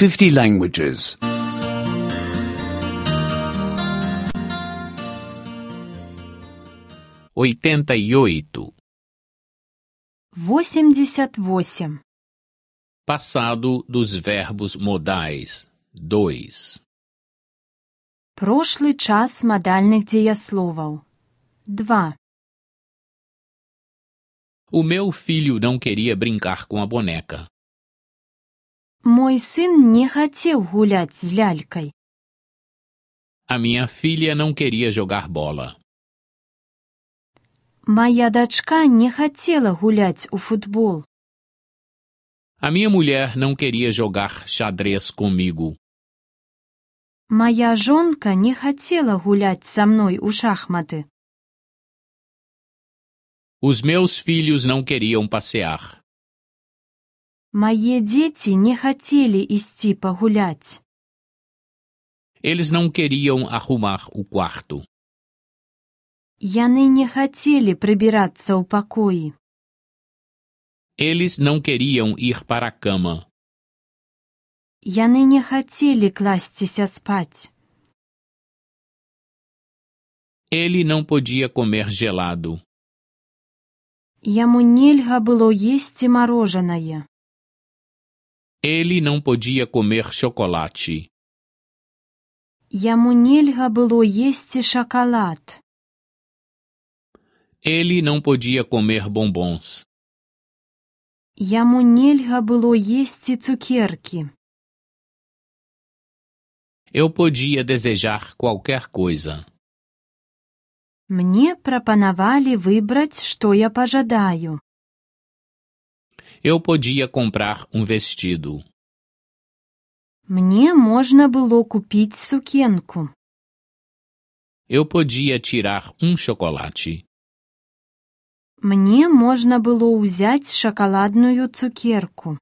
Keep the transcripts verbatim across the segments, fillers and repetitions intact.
fifty languages. oitenta e oito. восемьдесят восемь. Passado dos verbos modais. dois. Прошлый час модальных деясловов. два. O meu filho não queria brincar com a boneca. Мой сын не хотел гулять с лялькой. A minha filha não queria jogar bola. Моя дочка не хотела гулять у футбол. A minha mulher não queria jogar xadrez comigo. Моя жонка не хотела гулять со мной у шахматы. Os meus filhos não queriam passear. Мои дети не хотели идти погулять. Eles não queriam arrumar o quarto. Яны не хотели прибираться у покои. Eles não queriam ir para a cama. Яны не хотели класться спать. Ele não podia comer gelado. Яму нельга было есть мороженое. Ele não podia comer chocolate. Яму нельга было есть шоколад. Ele não podia comer bombons. Яму нельга было есть цукерки. Eu podia desejar qualquer coisa. Мне пропоновали выбрать, что я пожадаю. Eu podia comprar um vestido. Мне можно было купить сукенку. Eu podia tirar um chocolate. Мне можно было взять шоколадную цукерку.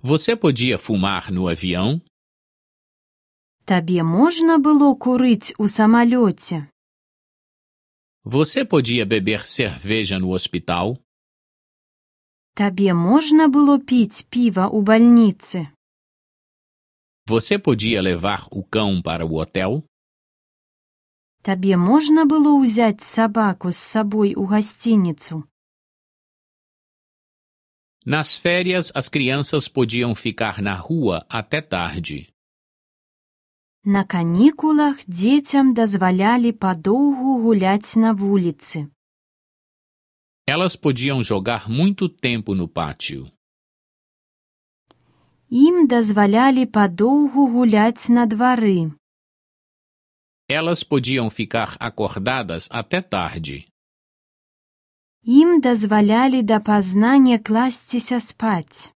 Você podia fumar no avião? Табе можно было курить у самолете? Você podia beber cerveja no hospital? Табе можно было пить пиво у больницы? Você podia levar o cão para o hotel? Табе можно было взять собаку с собой у гостиницу? Nas férias, as crianças podiam ficar na rua até tarde. На каникулах детям дозволяли подолгу гулять на вулице. Elas podiam jogar muito tempo no pátio. Им дозволяли подолгу гулять на дворы. Elas podiam ficar acordadas até tarde. Им дозволяли допоздна не класться спать.